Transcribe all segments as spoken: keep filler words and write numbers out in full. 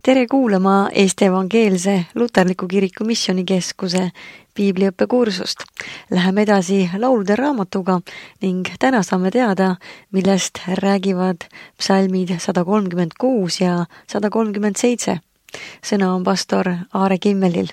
Tere kuulama Eesti Evangeelse Luterliku Kiriku Missioonikeskuse piibliõppekursust. Läheme edasi laulude raamatuga ning täna saame teada, millest räägivad psalmid sada kolmkümmend kuus ja sada kolmkümmend seitse. Sõna on pastor Aare Kimmelil.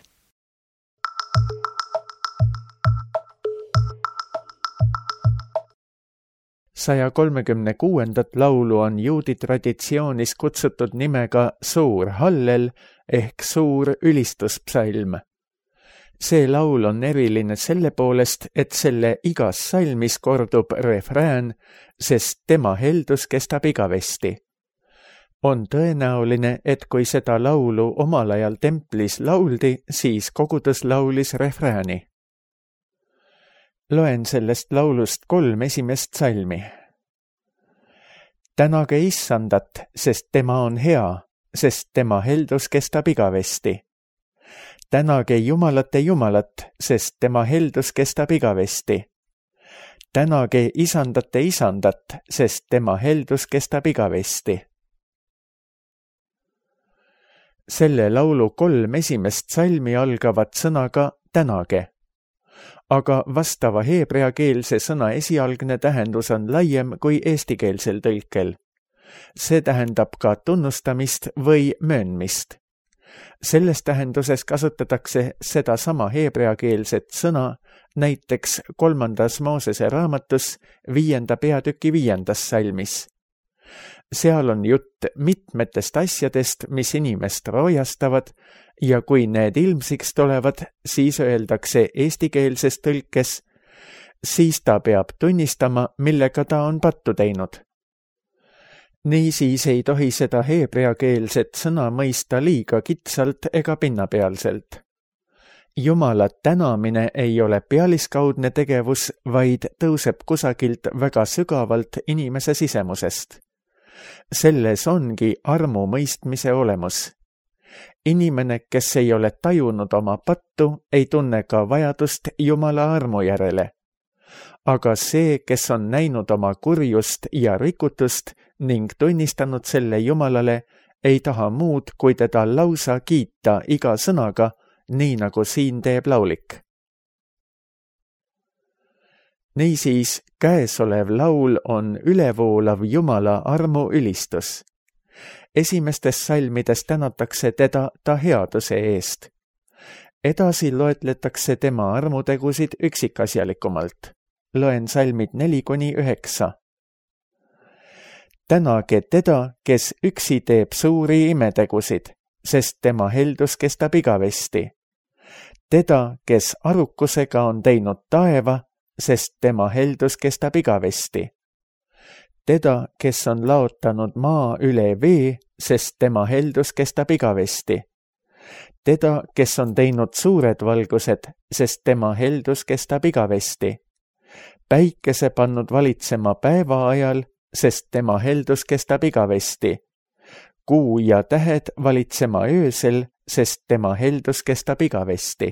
saja kolmekümne kuuendat laulu on juudi traditsioonis kutsutud nimega suur hallel ehk suur ülistuspsalm. See laul on eriline selle poolest, et selle igas salmis kordub refrään, sest tema heldus kestab igavesti. On tõenäoline, et kui seda laulu omal ajal templis lauldi, siis kogudus laulis refrääni. Loen sellest laulust kolm esimest salmi. Tänage issandat, sest tema on hea, sest tema heldus kestab igavesti. Tänage jumalate jumalat, sest tema heldus kestab igavesti. Tänage isandate isandat, sest tema heldus kestab igavesti. Selle laulu kolm esimest salmi algavad sõnaga tänage. Aga vastava heebreakeelse sõna esialgne tähendus on laiem kui eestikeelsel tõlkel. See tähendab ka tunnustamist või möönmist. Selles tähenduses kasutatakse seda sama heebreakeelset sõna näiteks kolmandas Moosese raamatus viienda peatüki viiendas salmis. Seal on jutt mitmetest asjadest, mis inimest roojastavad, ja kui need ilmsiks tulevad, siis öeldakse eestikeelses tõlkes, siis ta peab tunnistama, millega ta on pattu teinud. Niisiis ei tohi seda heebreakeelset sõna mõista liiga kitsalt ega pinnapealselt. Jumala tänamine ei ole pealiskaudne tegevus, vaid tõuseb kusagilt väga sügavalt inimese sisemusest. Selles ongi armu mõistmise olemus. Inimene, kes ei ole tajunud oma pattu, ei tunne ka vajadust Jumala armu järele. Aga see, kes on näinud oma kurjust ja rikutust ning tunnistanud selle Jumalale, ei taha muud, kui teda lausa kiita iga sõnaga, nii nagu siin teeb laulik. Niisiis, käesolev laul on ülevoolav Jumala armu ülistus. Esimestes salmides tänatakse teda ta headuse eest. Edasi loetletakse tema armutegusid üksikasjalikumalt. Loen salmid neli kuni üheksa. Tänage teda, kes üksi teeb suuri imetegusid, sest tema heldus kestab igavesti. Teda, kes arukusega on teinud taeva, sest tema heldus kestab igavesti. Teda, kes on laotanud maa üle vee, sest tema heldus kestab igavesti. Teda, kes on teinud suured valgused, sest tema heldus kestab igavesti. Päikese pannud valitsema päeva ajal, sest tema heldus kestab igavesti. Kuu ja tähed valitsema öösel, sest tema heldus kestab igavesti.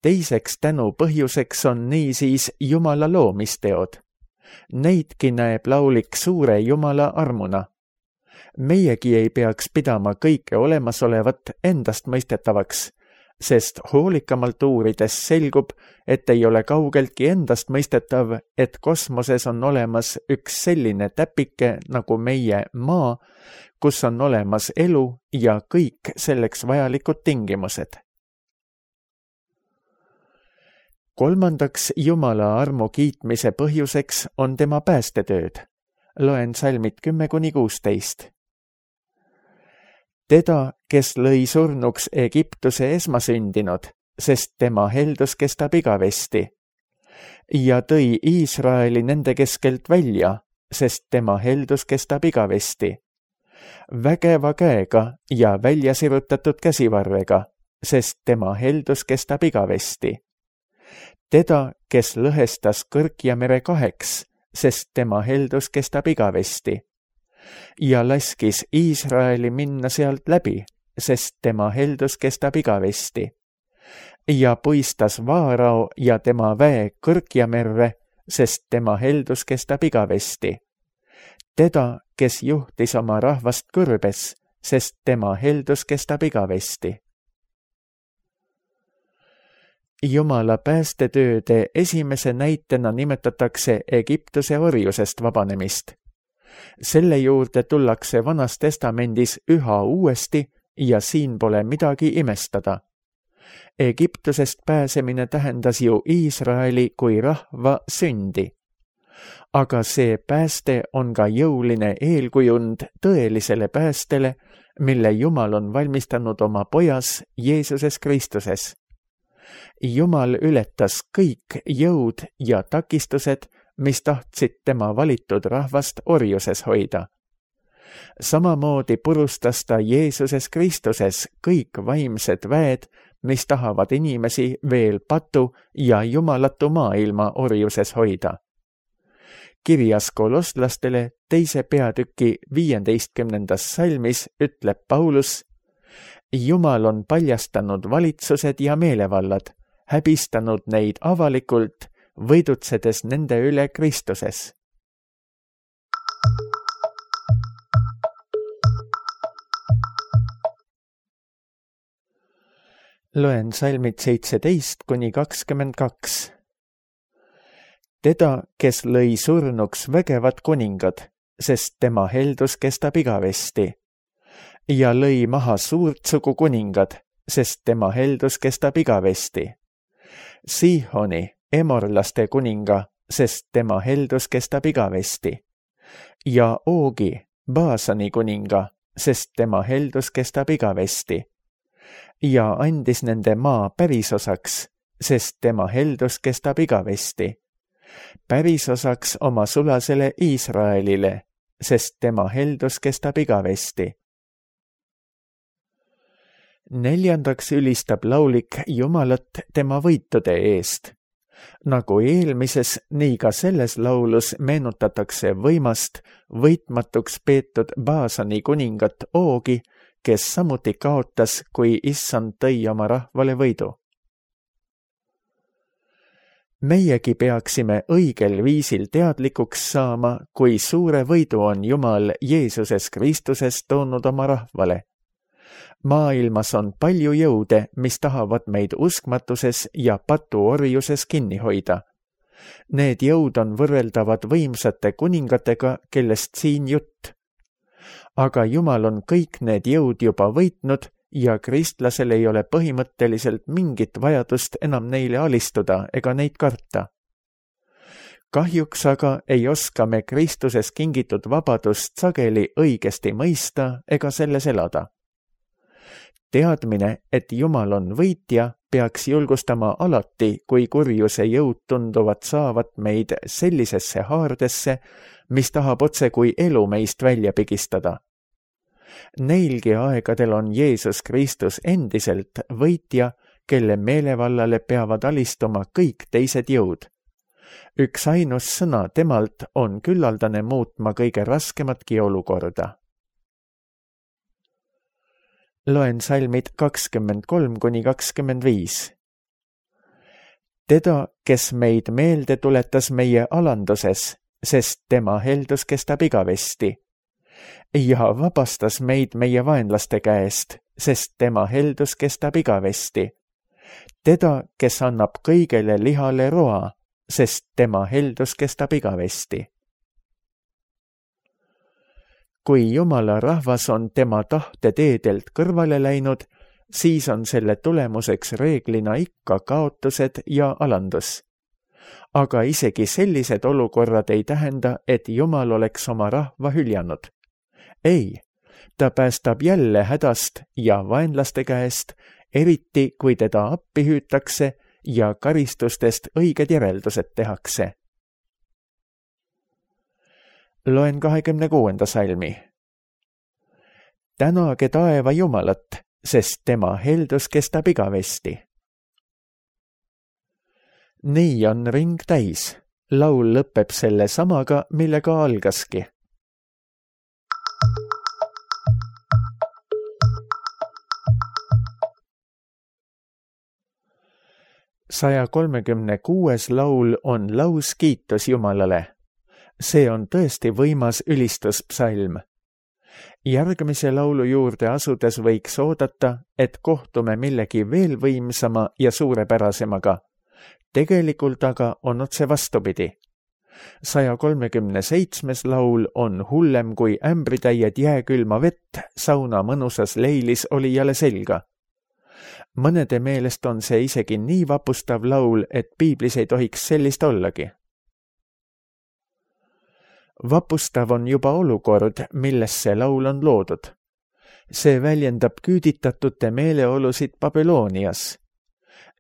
Teiseks tänu põhjuseks on niisiis Jumala loomisteod. Neidki näeb laulik suure Jumala armuna. Meiegi ei peaks pidama kõike olemasolevat endast mõistetavaks, sest hoolikamalt uurides selgub, et ei ole kaugeltki endast mõistetav, et kosmoses on olemas üks selline täpike nagu meie maa, kus on olemas elu ja kõik selleks vajalikud tingimused. Kolmandaks Jumala armu kiitmise põhjuseks on tema päästetööd. Loen salmid kümme kuni kuusteist. Teda, kes lõi surnuks Egiptuse esmasündinud, sest tema heldus kestab igavesti. Ja tõi Iisraeli nende keskelt välja, sest tema heldus kestab igavesti. Vägeva käega ja välja sirutatud käsivarrega, sest tema heldus kestab igavesti. Teda, kes lõhestas Kõrkja mere kaheks, sest tema heldus kestab igavesti. Ja laskis Iisraeli minna sealt läbi, sest tema heldus kestab igavesti. Ja puistas Vaarao ja tema väe Kõrkja merre, sest tema heldus kestab igavesti. teda, kes juhtis oma rahvast kõrbes, sest tema heldus kestab igavesti. Jumala päästetööde esimese näitena nimetatakse Egiptuse orjusest vabanemist. Selle juurde tullakse Vanas Testamendis üha uuesti ja siin pole midagi imestada. Egiptusest pääsemine tähendas ju Iisraeli kui rahva sündi. Aga see pääste on ka jõuline eelkujund tõelisele päästele, mille Jumal on valmistanud oma pojas Jeesuses Kristuses. Jumal ületas kõik jõud ja takistused, mis tahtsid tema valitud rahvast orjuses hoida. Samamoodi purustas ta Jeesuses Kristuses kõik vaimsed väed, mis tahavad inimesi veel patu ja jumalatu maailma orjuses hoida. Kirjas kolosslastele teise peatüki viieteistkümnendas salmis ütleb Paulus: Jumal on paljastanud valitsused ja meelevallad, häbistanud neid avalikult, võidutsedes nende üle Kristuses. Loen salmid seitseteist kuni kakskümmend kaks. Teda, kes lõi surnuks vägevad kuningad, sest tema heldus kestab igavesti, ja lõi maha suurt sugu kuningad, sest tema heldus kestab igavesti. Sihoni, emorlaste kuninga, sest tema heldus kestab igavesti, ja Oogi, Baasani kuninga, sest tema heldus kestab igavesti, ja andis nende maa pärisosaks, sest tema heldus kestab igavesti, pärisosaks oma sulasele Iisraelile, sest tema heldus kestab igavesti. Neljandaks ülistab laulik Jumalat tema võitude eest. Nagu eelmises, nii ka selles laulus meenutatakse võimast, võitmatuks peetud Baasani kuningat Oogi, kes samuti kaotas, kui Issand tõi oma rahvale võidu. Meiegi peaksime õigel viisil teadlikuks saama, kui suure võidu on Jumal Jeesuses Kristuses toonud oma rahvale. Maailmas on palju jõude, mis tahavad meid uskmatuses ja patuorjuses kinni hoida. Need jõud on võrreldavad võimsate kuningatega, kellest siin jutt. Aga Jumal on kõik need jõud juba võitnud ja kristlasel ei ole põhimõtteliselt mingit vajadust enam neile alistuda ega neid karta. Kahjuks aga ei oska me Kristuses kingitud vabadust sageli õigesti mõista ega selles elada. Teadmine, et Jumal on võitja, peaks julgustama alati, kui kurjuse jõud tunduvad saavat meid sellisesse haardesse, mis tahab otse kui elu meist välja pigistada. Neilgi aegadel on Jeesus Kristus endiselt võitja, kelle meelevallale peavad alistuma kõik teised jõud. Üks ainus sõna temalt on küllaldane muutma kõige raskematki olukorda. Loen salmid kakskümmend kolm kuni kakskümmend viis. Teda, kes meid meelde tuletas meie alanduses, sest tema heldus kestab igavesti, ja vabastas meid meie vaenlaste käest, sest tema heldus kestab igavesti. Teda, kes annab kõigele lihale roa, sest tema heldus kestab igavesti. Kui Jumala rahvas on tema tahte teedelt kõrvale läinud, siis on selle tulemuseks reeglina ikka kaotused ja alandus. Aga isegi sellised olukorrad ei tähenda, et Jumal oleks oma rahva hüljanud. Ei, ta päästab jälle hädast ja vaenlaste käest, eriti kui teda appi hüütakse ja karistustest õiged järeldused tehakse. Loen kahekümne kuuenda salmi. Tänage taeva Jumalat, sest tema heldus kestab igavesti. Nii on ring täis. Laul lõpeb selle samaga, millega algaski. saja kolmekümne kuues laul on laus kiitus Jumalale. see on tõesti võimas ülistuspsalm. Järgmise laulu juurde asudes võiks oodata, et kohtume millegi veel võimsama ja suurepärasemaga. Tegelikult aga on otse vastupidi. saja kolmekümne seitsmes laul on hullem kui ämbritäied jääkülma vett sauna mõnusas leilis olijale selga. Mõnede meelest on see isegi nii vapustav laul, et piiblis ei tohiks sellist ollagi. Vapustav on juba olukord, milles see laul on loodud. See väljendab küüditatute meeleolusid Babylonias.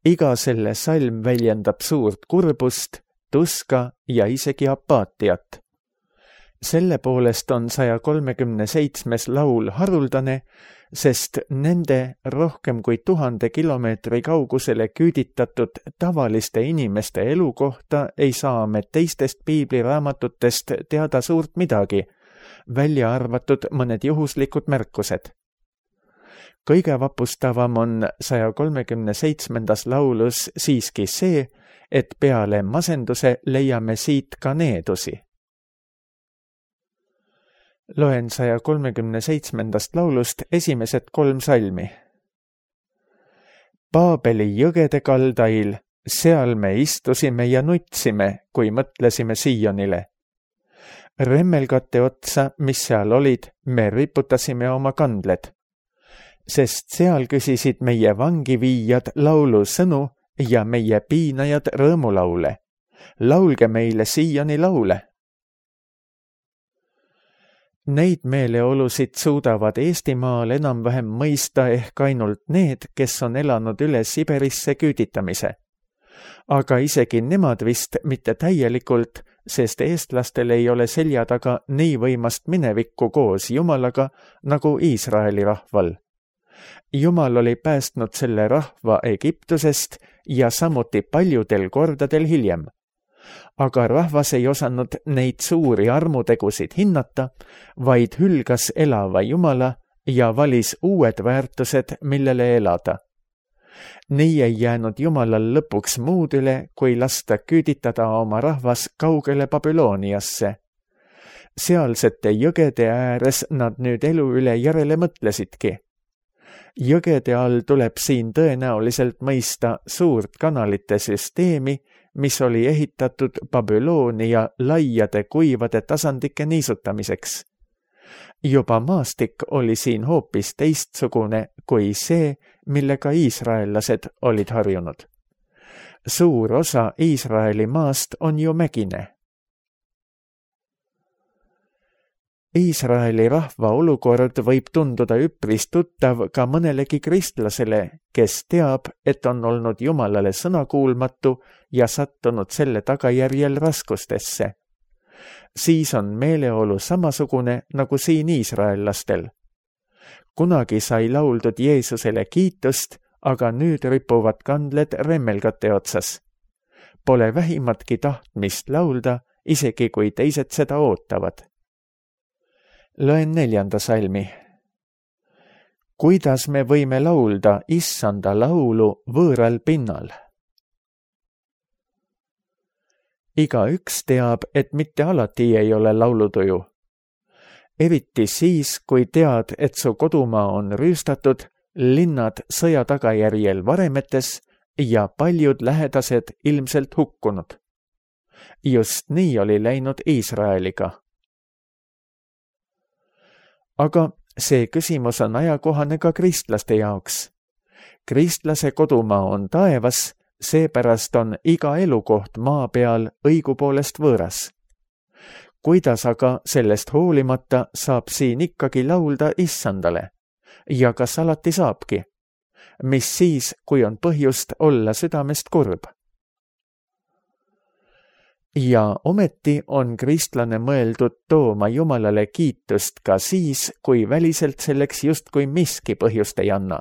Iga selle salm väljendab suurt kurbust, tuska ja isegi apaatiat. Selle poolest on saja kolmekümne seitsmes laul haruldane, sest nende rohkem kui tuhande kilomeetri kaugusele küüditatud tavaliste inimeste elu kohta ei saa me teistest piibliraamatutest teada suurt midagi, välja arvatud mõned juhuslikud märkused. Kõige vapustavam on saja kolmekümne seitsmendas laulus siiski see, et peale masenduse leiame siit ka needusi. Loen saja kolmekümne seitsmendast laulust esimesed kolm salmi. Paabeli jõgede kaldail, seal me istusime ja nutsime, kui mõtlesime Siionile. Remmelgate otsa, mis seal olid, me riputasime oma kandled. Sest seal küsisid meie vangiviijad laulu sõnu ja meie piinajad rõõmulaule. Laulge meile Sioni laule. Neid meeleolusid suudavad Eestimaal enam-vähem mõista ehk ainult need, kes on elanud üle Siberisse küüditamise. Aga isegi nemad vist mitte täielikult, sest eestlastel ei ole selja taga nii võimast minevikku koos Jumalaga nagu Iisraeli rahval. Jumal oli päästnud selle rahva Egiptusest ja samuti paljudel kordadel hiljem. Aga rahvas ei osanud neid suuri armutegusid hinnata, vaid hülgas elava Jumala ja valis uued väärtused, millele elada. Nii ei jäänud Jumalal lõpuks muud üle, kui lasta küüditada oma rahvas kaugele Babyloniasse. Sealsete jõgede ääres nad nüüd elu üle järele mõtlesidki. Jõgede all tuleb siin tõenäoliselt mõista suurt kanalite süsteemi, mis oli ehitatud Babylonia laiade kuivade tasandike niisutamiseks. Juba maastik oli siin hoopis teistsugune kui see, millega iisraellased olid harjunud. Suur osa Iisraeli maast on ju mägine. Iisraeli rahva olukord võib tunduda üpris tuttav ka mõnelegi kristlasele, kes teab, et on olnud Jumalale sõnakuulmatu ja sattunud selle tagajärjel raskustesse. Siis on meeleolu samasugune nagu siin iisraellastel. Kunagi sai lauldud Jeesusele kiitust, aga nüüd ripuvad kandled remmelgate otsas. Pole vähimatki tahtmist laulda, isegi kui teised seda ootavad. Loen neljanda salmi. Kuidas me võime laulda issanda laulu võõral pinnal? Igaüks teab, et mitte alati ei ole laulutuju. Eriti siis, kui tead, et su kodumaa on rüüstatud, linnad sõja tagajärjel varemetes ja paljud lähedased ilmselt hukkunud. Just nii oli läinud Iisraeliga. Aga see küsimus on ajakohane ka kristlaste jaoks. Kristlase kodumaa on taevas, seepärast on iga elukoht maa peal õigupoolest võõras. Kuidas aga sellest hoolimata saab siin ikkagi laulda issandale? Ja kas alati saabki? Mis siis, kui on põhjust olla südamest kurb? Ja ometi on kristlane mõeldud tooma Jumalale kiitust ka siis, kui väliselt selleks justkui miski põhjust ei anna.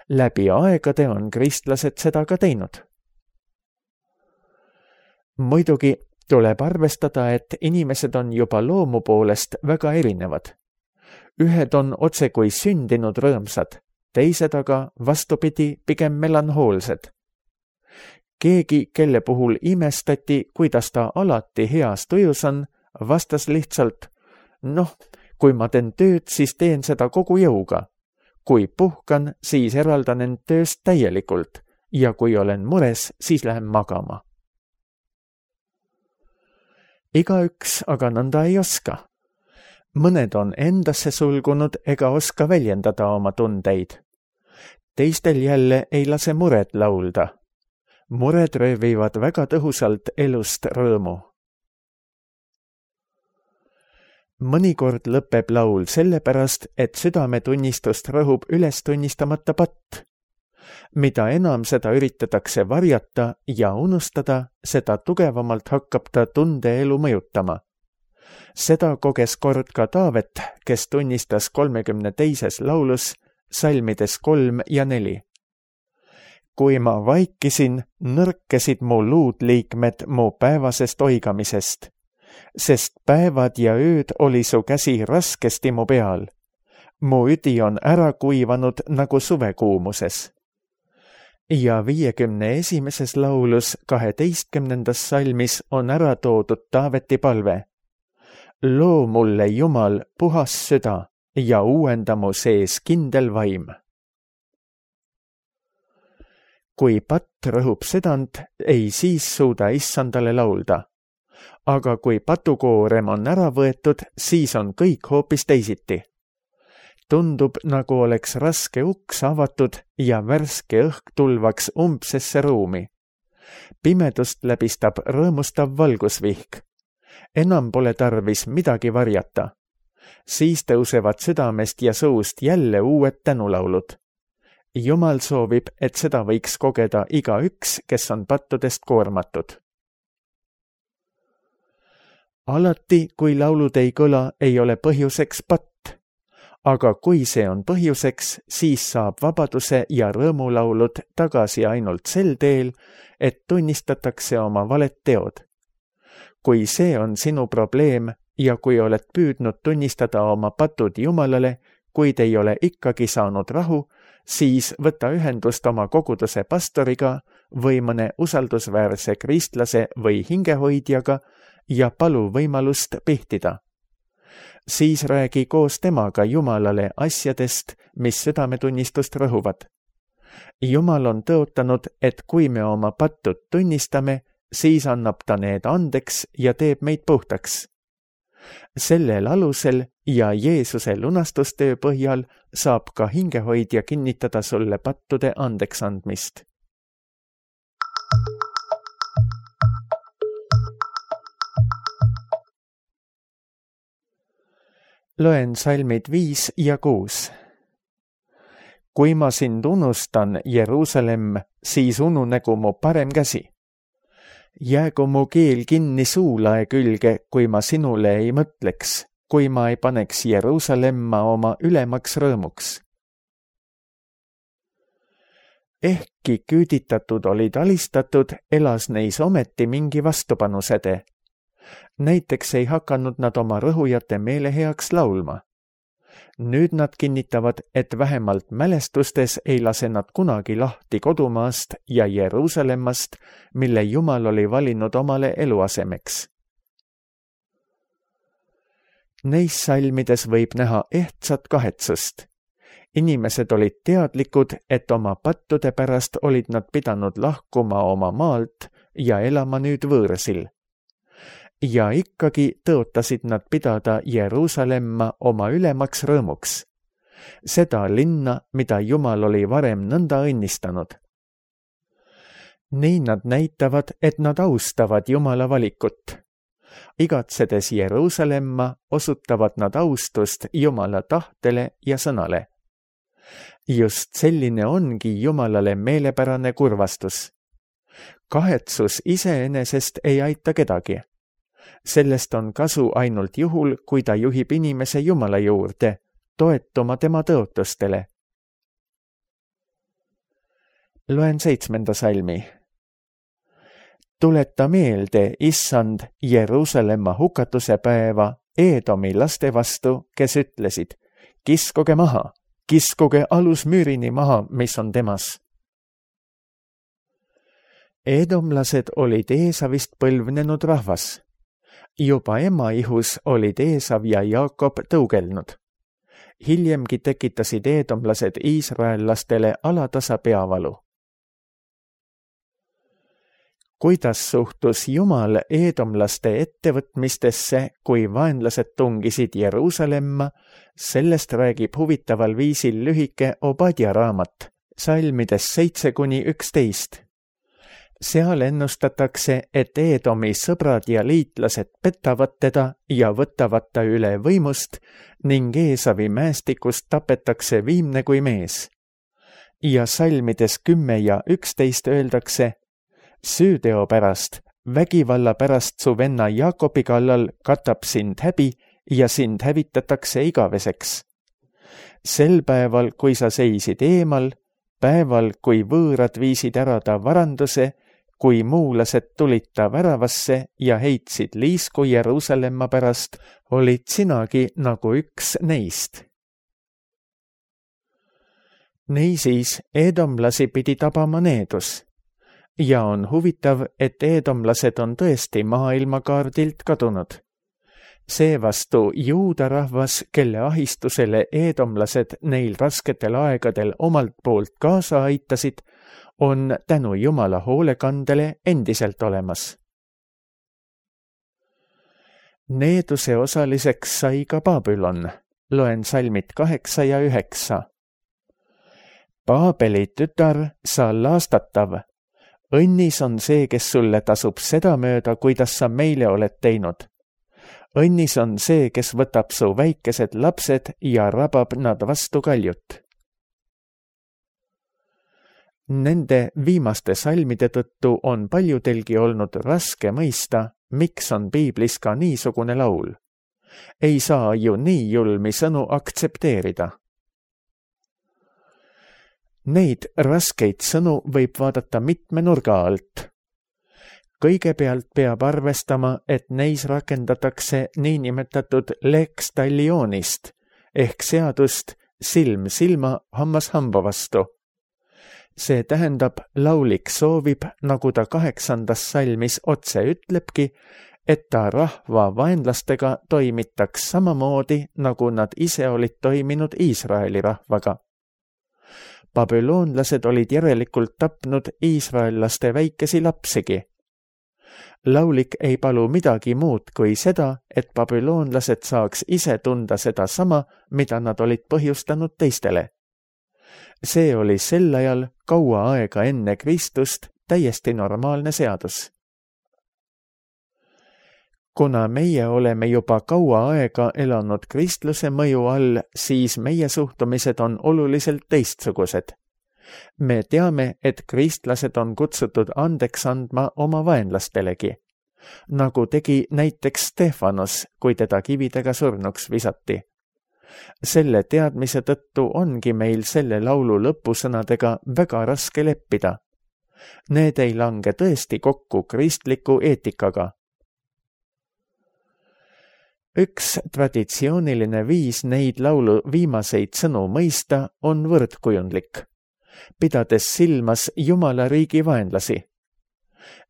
Läbi aegade on kristlased seda ka teinud. Muidugi tuleb arvestada, et inimesed on juba loomu poolest väga erinevad. Ühed on otse kui sündinud rõõmsad, teised aga vastupidi pigem melanhoolsed. keegi, kelle puhul imestati, kuidas ta alati heas tujus on, vastas lihtsalt, noh, kui ma teen tööd, siis teen seda kogu jõuga. Kui puhkan, siis eraldan end tööst täielikult ja kui olen mures, siis lähen magama. Igaüks aga nõnda ei oska. Mõned on endasse sulgunud ega oska väljendada oma tundeid. Teistel jälle ei lase mured laulda. Mured röövivad väga tõhusalt elust rõõmu. Mõnikord lõpeb laul sellepärast, et südametunnistust rõhub üles tunnistamata patt. Mida enam seda üritatakse varjata ja unustada, seda tugevamalt hakkab ta tundeelu mõjutama. Seda koges kord ka Taavet, kes tunnistas kolmekümne teises laulus, salmides kolm ja neli. Kui ma vaikisin, nõrkesid mu luudliikmed mu päevasest oigamisest, sest päevad ja ööd oli su käsi raskesti mu peal. Mu üdi on ära kuivanud nagu suvekuumuses. Ja viiekümne esimeses laulus kaheteistkümnendas salmis on ära toodud Taaveti palve. Loo mulle Jumal puhas süda ja uuenda mu sees kindel vaim. Kui patt rõhub südant, ei siis suuda issandale laulda. Aga kui patukoorem on ära võetud, siis on kõik hoopis teisiti. Tundub, nagu oleks raske uks avatud ja värske õhk tulvaks umbsesse ruumi. Pimedust läbistab rõõmustav valgusvihk. Enam pole tarvis midagi varjata. Siis tõusevad südamest ja suust jälle uued tänulaulud. Jumal soovib, et seda võiks kogeda igaüks, kes on pattudest koormatud. Alati, kui laulud ei kõla, ei ole põhjuseks patt. Aga kui see on põhjuseks, siis saab vabaduse ja rõõmulaulud tagasi ainult sel teel, et tunnistatakse oma valed teod. Kui see on sinu probleem ja kui oled püüdnud tunnistada oma patud Jumalale, kuid ei ole ikkagi saanud rahu, siis võta ühendust oma koguduse pastoriga või mõne usaldusväärse kristlase või hingehoidjaga ja palu võimalust pihtida. Siis räägi koos temaga Jumalale asjadest, mis südametunnistust rõhuvad. Jumal on tõotanud, et kui me oma pattud tunnistame, siis annab ta need andeks ja teeb meid puhtaks. Sellel alusel ja Jeesuse lunastustöö põhjal saab ka hingehoidja kinnitada sulle pattude andeks andmist. Loen salmid viis ja kuus. Kui ma sind unustan, Jeruusalemm, siis ununegu mu parem käsi. Jäägu mu keel kinni suulae külge, kui ma sinule ei mõtleks, kui ma ei paneks Jeruusalemma oma ülemaks rõõmuks. Ehkki küüditatud olid alistatud, elas neis ometi mingi vastupanusede. Näiteks ei hakanud nad oma rõhujate meele heaks laulma. Nüüd nad kinnitavad, et vähemalt mälestustes ei lase nad kunagi lahti kodumaast ja Jeruusalemmast, mille Jumal oli valinud omale eluasemeks. Neis salmides võib näha ehtsat kahetsust. Inimesed olid teadlikud, et oma pattude pärast olid nad pidanud lahkuma oma maalt ja elama nüüd võõrsil. Ja ikkagi tõotasid nad pidada Jeruusalemma oma ülemaks rõõmuks. Seda linna, mida Jumal oli varem nõnda õnnistanud. Nii nad näitavad, et nad austavad Jumala valikut. Igatsedes Jeruusalemma osutavad nad austust Jumala tahtele ja sõnale. Just selline ongi Jumalale meelepärane kurvastus. Kahetsus iseenesest ei aita kedagi. Sellest on kasu ainult juhul, kui ta juhib inimese Jumala juurde, toetuma tema tõotustele. Loen seitsmenda salmi. Tuleta meelde, issand, Jeruusalemma hukatuse päeva Eedomi laste vastu, kes ütlesid, kiskuge maha, kiskuge alusmüürini maha, mis on temas. Eedomlased olid Eesavist põlvnenud rahvas. Juba ema ihus olid Eesav ja Jaakob tõugelnud. Hiljemgi tekitasid eedomlased iisraellastele alatasa peavalu. Kuidas suhtus Jumal eedomlaste ettevõtmistesse, kui vaenlased tungisid Jeruusalemma, sellest räägib huvitaval viisil lühike Obadja raamat, salmides seitse kuni üksteist. Seal ennustatakse, et Eedomi sõbrad ja liitlased petavad teda ja võtavad ta üle võimust ning Eesavi mäestikust tapetakse viimne kui mees. Ja salmides kümme ja üksteist öeldakse, süüteo pärast, vägivalla pärast su venna Jaakobi kallal katab sind häbi ja sind hävitatakse igaveseks. Sel päeval, kui sa seisid eemal, päeval, kui võõrad viisid ära ta varanduse, kui muulased tulid ta väravasse ja heitsid liisku Jeruusalemma pärast, olid sinagi nagu üks neist. Niisiis eedomlasi pidi tabama needus. Ja on huvitav, et eedomlased on tõesti maailmakaardilt kadunud. Seevastu juuda rahvas, kelle ahistusele eedomlased neil rasketel aegadel omalt poolt kaasa aitasid, on tänu Jumala hoolekandele endiselt olemas. Needuse osaliseks sai ka Babylon, loen salmid kaheksa ja üheksa. Paabeli tütar, sa laastatav, õnnis on see, kes sulle tasub seda mööda, kuidas sa meile oled teinud. Õnnis on see, kes võtab su väikesed lapsed ja rabab nad vastu kaljut. Nende viimaste salmide tõttu on paljudelgi olnud raske mõista, miks on piiblis ka niisugune laul. Ei saa ju nii julmi sõnu aktsepteerida. Neid raskeid sõnu võib vaadata mitme nurga alt. Kõigepealt peab arvestama, et neis rakendatakse niinimetatud lex talionist ehk seadust silm silma, hammas hamba vastu. See tähendab, laulik soovib, nagu ta kaheksandas salmis otse ütlebki, et ta rahva vaenlastega toimitaks samamoodi, nagu nad ise olid toiminud Iisraeli rahvaga. Babüloonlased olid järelikult tapnud iisraellaste väikesi lapsigi. Laulik ei palu midagi muud kui seda, et babüloonlased saaks ise tunda seda sama, mida nad olid põhjustanud teistele. See oli sel ajal kaua aega enne Kristust täiesti normaalne seadus. Kuna meie oleme juba kaua aega elanud kristluse mõju all, siis meie suhtumised on oluliselt teistsugused. Me teame, et kristlased on kutsutud andeks andma oma vaenlastelegi, nagu tegi näiteks Stefanos, kui teda kividega surnuks visati. Selle teadmise tõttu ongi meil selle laulu lõpusõnadega väga raske leppida. Need ei lange tõesti kokku kristliku eetikaga. Üks traditsiooniline viis neid laulu viimaseid sõnu mõista on võrdkujundlik, pidades silmas Jumala riigi vaenlasi.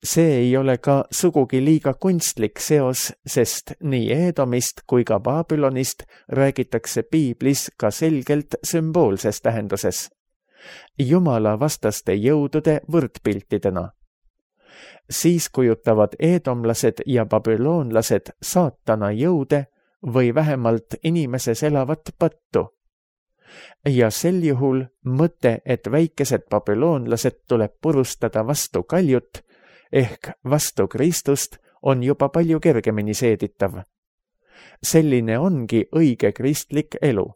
See ei ole ka sugugi liiga kunstlik seos, sest nii Eedomist kui ka Babylonist räägitakse piiblis ka selgelt sümboolses tähenduses. Jumala vastaste jõudude võrdpiltidena. Siis kujutavad eedomlased ja babüloonlased saatana jõude või vähemalt inimeses elavat pattu. Ja sel juhul mõte, et väikesed babüloonlased tuleb purustada vastu kaljut, ehk vastu Kristust, on juba palju kergemini seeditav. Selline ongi õige kristlik elu,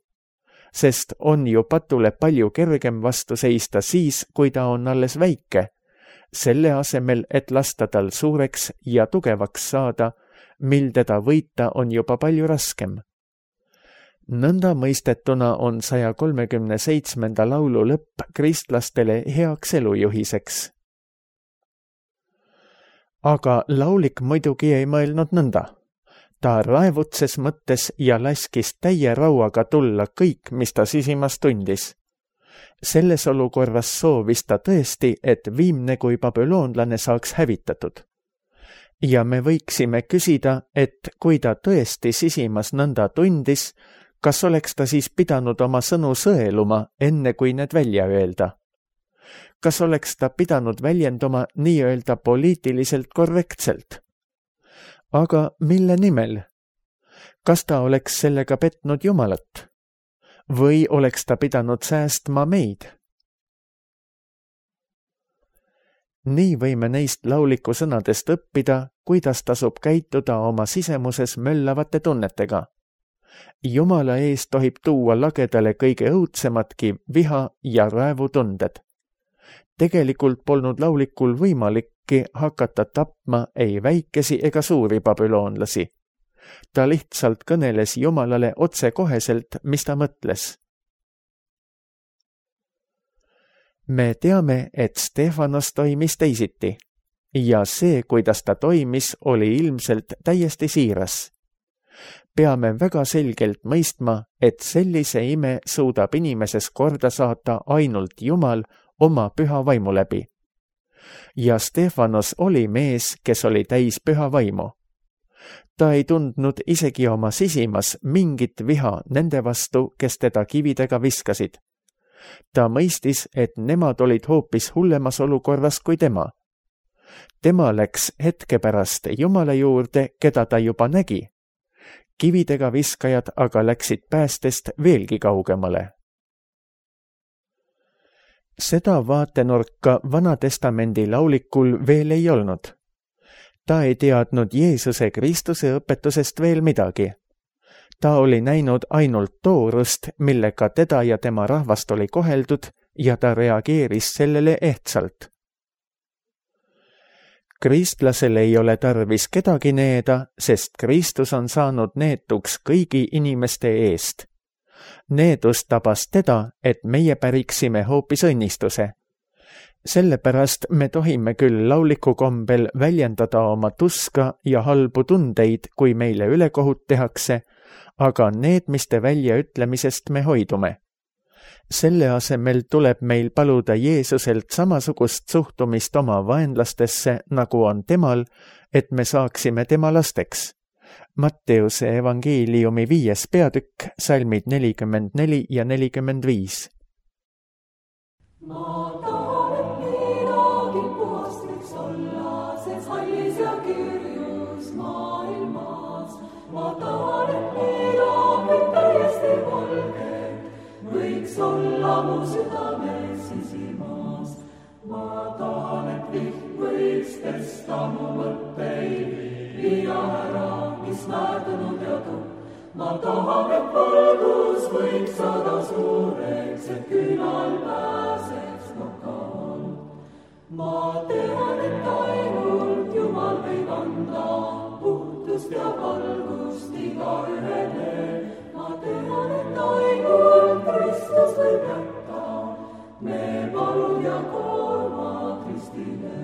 sest on ju patule palju kergem vastu seista siis, kui ta on alles väike, selle asemel, et lasta tal suureks ja tugevaks saada, mil teda võita on juba palju raskem. Nõnda mõistetuna on saja kolmekümne seitsmenda laulu lõpp kristlastele heaks elujuhiseks. Aga laulik muidugi ei mõelnud nõnda. Ta raevutses mõttes ja laskis täie rauaga tulla kõik, mis ta sisimas tundis. Selles olukorras soovis ta tõesti, et viimne kui babüloonlane saaks hävitatud. Ja me võiksime küsida, et kui ta tõesti sisimas nõnda tundis, kas oleks ta siis pidanud oma sõnu sõeluma, enne kui need välja öelda? Kas oleks ta pidanud väljenduma nii-öelda poliitiliselt korrektselt? Aga mille nimel? Kas ta oleks sellega petnud Jumalat? Või oleks ta pidanud säästma meid? Nii võime neist lauliku sõnadest õppida, kuidas tasub käituda oma sisemuses möllavate tunnetega. Jumala ees tohib tuua lagedale kõige õudsemadki viha ja raevutunded. Tegelikult polnud laulikul võimalikki hakata tapma ei väikesi ega suuri babüloonlasi. Ta lihtsalt kõneles Jumalale otsekoheselt, mis ta mõtles. Me teame, et Stefanos toimis teisiti ja see, kuidas ta toimis, oli ilmselt täiesti siiras. Peame väga selgelt mõistma, et sellise ime suudab inimeses korda saata ainult Jumal oma püha vaimu läbi. Ja Stefanos oli mees, kes oli täis püha vaimu. Ta ei tundnud isegi oma sisimas mingit viha nende vastu, kes teda kividega viskasid. Ta mõistis, et nemad olid hoopis hullemas olukorras kui tema. Tema läks hetke pärast Jumala juurde, keda ta juba nägi. Kividega viskajad aga läksid päästest veelgi kaugemale. Seda vaatenurka Vanatestamendi laulikul veel ei olnud. Ta ei teadnud Jeesuse Kristuse õpetusest veel midagi. Ta oli näinud ainult toorust, millega teda ja tema rahvast oli koheldud ja ta reageeris sellele ehtsalt. Kristlasel ei ole tarvis kedagi needa, sest Kristus on saanud neetuks kõigi inimeste eest. Needus tabas teda, et meie päriksime hoopis õnnistuse. Sellepärast me tohime küll lauliku kombel väljendada oma tuska ja halbu tundeid, kui meile ülekohut tehakse, aga needmiste väljaütlemisest me hoidume. Selle asemel tuleb meil paluda Jeesuselt samasugust suhtumist oma vaenlastesse, nagu on temal, et me saaksime tema lasteks. Matteuse evangeeliumi viies peatükk, salmid nelikümmend neli ja nelikümmend viis. Ma tahan, et midagi puhast võiks olla, sest hallis ja kirjus maailmas. Ma tahan, et midagi täiesti valget võiks olla mu südames sisimas. Ma tahan, et vihm võiks pesta mu mõtteid, viia ära, mis määrdunud ja tupp. Ma tahan, et valgus võiks saada suureks, et küünal pääseks nokalt. Ma tean, et ainult Jumal võib anda puhtust ja valgust igaühele. Ma tean, et ainult Kristus võib jätta me palud ja koormad Kristile.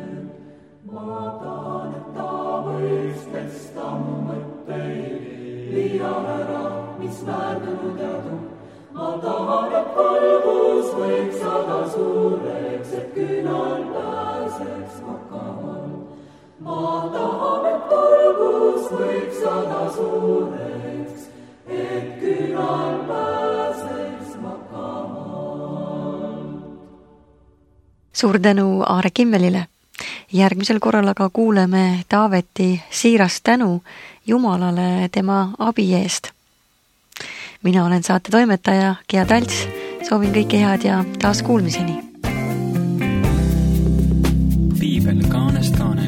Ma tahan, et ta võiks pesta mu mõtteid, viia ära, mis määrdunud ja tupp. Ma tahan, et valgus võiks saada suureks, et küünal pääseks nokalt. Ma tahan, et valgus võiks saada suureks, et küünal pääseks nokalt. Suur tänu Aare Kimmelile. Järgmisel korral aga kuuleme Taaveti siirast tänu Jumalale tema abi eest. Mina olen saate toimetaja Gea Talts, soovin kõike head ja taas kuulmiseni. Piibel kaanest kaanest.